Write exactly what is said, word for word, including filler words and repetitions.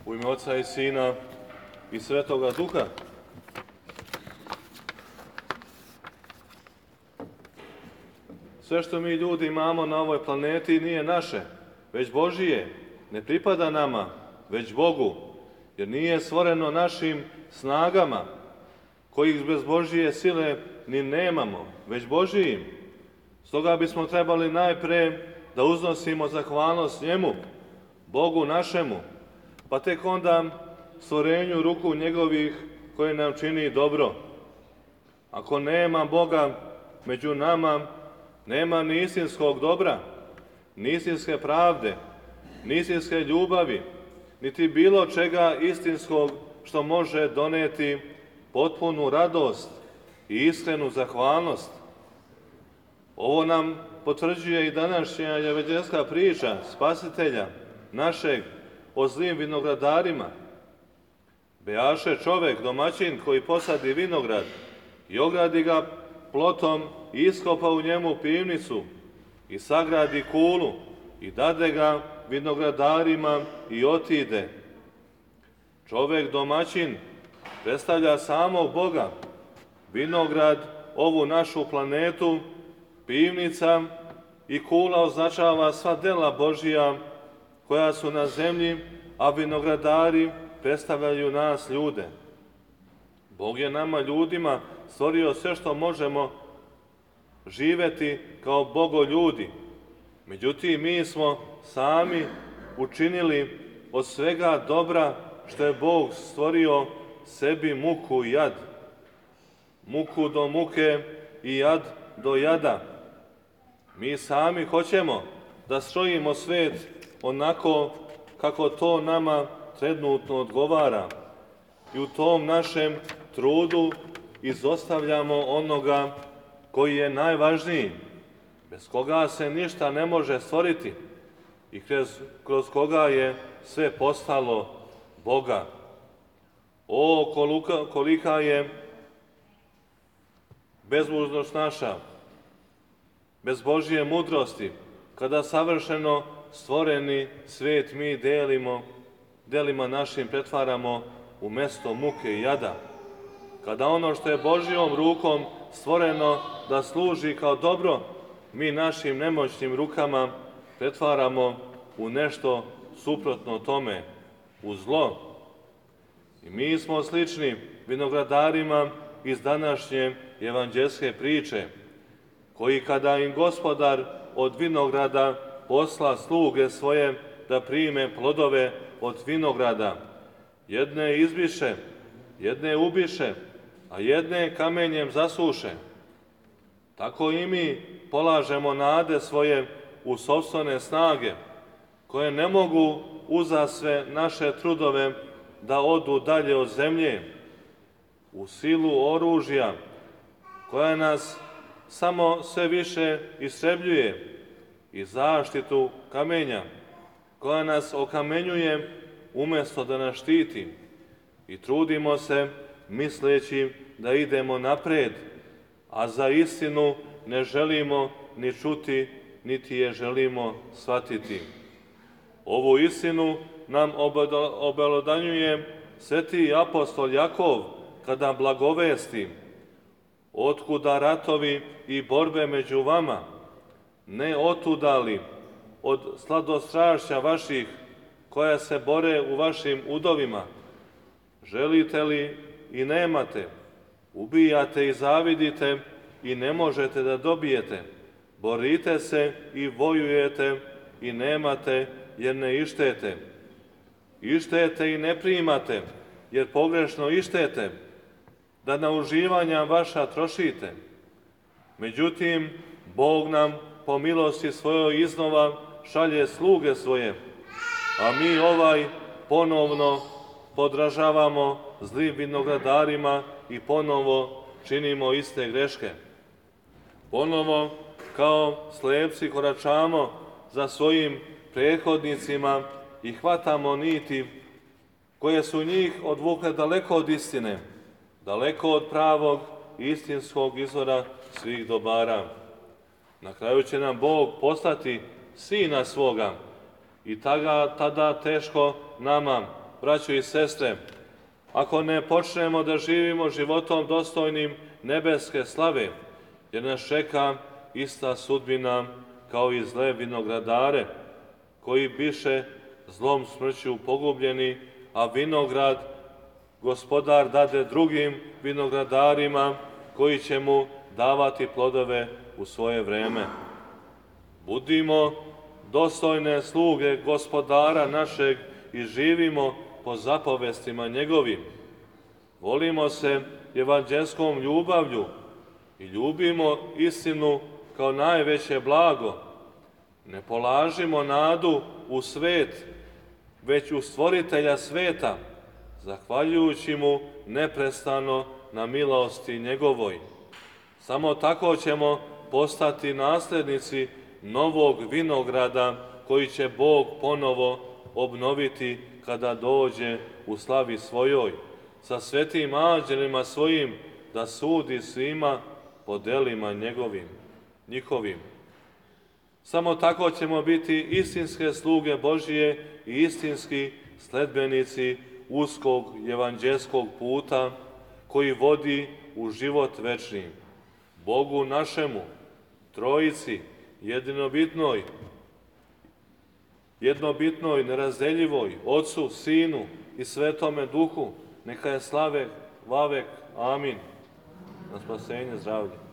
U ime Oca i Sina i Svetoga Duha. Sve što mi ljudi imamo na ovoj planeti nije naše, već Božije. Ne pripada nama, već Bogu, jer nije stvoreno našim snagama, kojih bez Božije sile ni nemamo, već Božijim. Stoga bismo trebali najpre da uznosimo zahvalnost njemu, Bogu našemu, pa tek onda stvorenju ruku njegovih koje nam čini dobro. Ako nema Boga među nama, nema ni istinskog dobra, ni istinske pravde, ni istinske ljubavi, niti bilo čega istinskog što može doneti potpunu radost i iskrenu zahvalnost. Ovo nam potvrđuje i današnja evanđeljska priča Spasitelja našeg o zlim vinogradarima. Bejaše čovek, domaćin, koji posadi vinograd i ogradi ga plotom i iskopa u njemu pivnicu i sagradi kulu i dade ga vinogradarima i otide. Čovek domaćin predstavlja samog Boga, vinograd, ovu našu planetu, pivnica i kula označava sva dela Božija koja su na zemlji, a vinogradari predstavljaju nas ljude. Bog je nama ljudima stvorio sve što možemo živeti kao bogoljudi. Međutim, mi smo sami učinili od svega dobra što je Bog stvorio sebi muku i jad. Muku do muke i jad do jada. Mi sami hoćemo da strojimo svet onako kako to nama trenutno odgovara. I u tom našem trudu izostavljamo onoga koji je najvažniji, bez koga se ništa ne može stvoriti i kroz, kroz koga je sve postalo Boga. O, kolika, kolika je bezmužnost naša, bez Božje mudrosti, kada savršeno stvoreni svet mi delimo, delima našim pretvaramo u mesto muke i jada. Kada ono što je Božjom rukom stvoreno da služi kao dobro, mi našim nemoćnim rukama pretvaramo u nešto suprotno tome, u zlo. I mi smo slični vinogradarima iz današnje evanđeljske priče, koji kada im Gospodar od vinograda posla sluge svoje da prime plodove od vinograda, jedne izbiše, jedne ubiše, a jedne kamenjem zasuše. Tako i mi polažemo nade svoje u sopstvene snage, koje ne mogu uza sve naše trudove da odu dalje od zemlje, u silu oružja, koja nas samo sve više istrebljuje, i zaštitu kamenja, koja nas okamenjuje umjesto da nas štiti, i trudimo se misleći da idemo napred, a za istinu ne želimo ni čuti, niti je želimo shvatiti. Ovu istinu nam obelodanjuje sveti apostol Jakov kada blagovesti: otkuda ratovi i borbe među vama, ne otuda li od sladostrašća vaših koja se bore u vašim udovima? Želite li i nemate, ubijate i zavidite i ne možete da dobijete, borite se i vojujete i nemate jer ne ištete. Ištete i ne primate jer pogrešno ištete, da na uživanja vaša trošite. Međutim, Bog nam po milosti svojoj iznova šalje sluge svoje, a mi ovaj ponovno podražavamo zlim vinogradarima i ponovo činimo iste greške. Ponovo kao slepci koračamo za svojim prethodnicima i hvatamo niti koje su njih odvukle daleko od istine, daleko od pravog i istinskog izvora svih dobara. Na kraju će nam Bog poslati Sina svoga i tada, tada teško nama braćo i sestre, ako ne počnemo da živimo životom dostojnim nebeske slave, jer nas čeka ista sudbina kao i zle vinogradare, koji biše zlom smrću pogubljeni, a vinograd Gospodar dade drugim vinogradarima koji će mu davati plodove u svoje vreme. Budimo dostojne sluge Gospodara našeg i živimo po zapovestima njegovim. Volimo se evanđelskom ljubavlju i ljubimo istinu kao najveće blago. Ne polažimo nadu u svet, već u Stvoritelja sveta, zahvaljujući mu neprestano na milosti njegovoj. Samo tako ćemo postati naslednici novog vinograda koji će Bog ponovo obnoviti kada dođe u slavi svojoj, sa svetim anđelima svojim, da sudi svima po delima njegovim, njihovim. Samo tako ćemo biti istinske sluge Božije i istinski sledbenici uskog evanđelskog puta koji vodi u život večni. Bogu našemu, Trojici, jedinobitnoj, jednobitnoj, nerazdeljivoj, Otcu, Sinu i Svetome Duhu, neka je slave vavek. Amin. Na spasenje zdravlje.